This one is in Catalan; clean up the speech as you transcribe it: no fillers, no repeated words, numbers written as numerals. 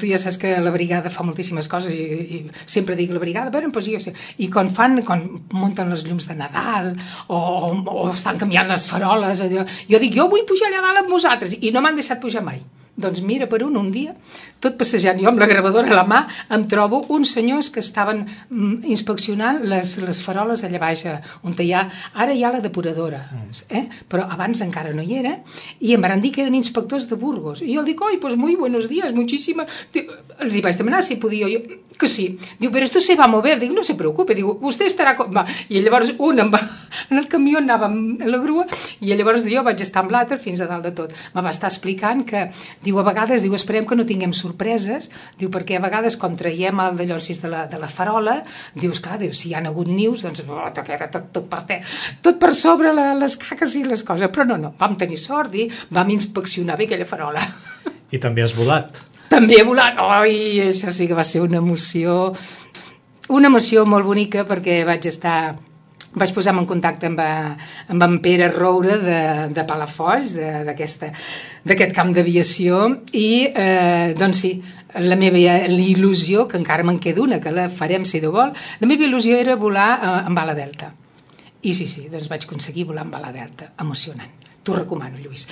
Tu ja saps que la brigada fa moltíssimes coses i sempre dic la brigada, però doncs jo sé. I quan munten les llums de Nadal o estan canviant les faroles, jo dic, jo vull pujar allà dalt amb vosaltres, i no m'han deixat pujar mai. Doncs mira, per un dia, tot passejant, jo amb la gravadora a la mà, em trobo uns senyors que estaven inspeccionant les faroles allà baix, on ara hi ha la depuradora, però abans encara no hi era, i em van dir que eren inspectors de Burgos. I jo dic, doncs muy buenos días, muchísimas. Els hi vaig demanar si podia, que sí. Diu, però esto se va a mover. Dic, no se preocupe, diu, usted estarà... I llavors un en el camió anava amb la grua, i llavors jo vaig estar amb l'altre fins a dalt de tot. Me va estar explicant que, diu, a vegades, diu, esperem que no tinguem sorpreses, diu, perquè a vegades quan traiem el d'allò de la farola, dius, clar, diu, si hi ha hagut nius, doncs queda tot per sobre les caques i les coses, però no, vam tenir sort i vam inspeccionar bé aquella farola. I també has volat. També he volat, això sí que va ser una emoció molt bonica, perquè vaig posar-me en contacte amb en Pere Roure de Palafolls, d'aquest camp d'aviació, i doncs sí, la meva il·lusió, que encara me'n queda una, que la farem si Déu vol, la meva il·lusió era volar amb ala delta. I sí, doncs vaig aconseguir volar amb ala delta. Emocionant. T'ho recomano, Lluís.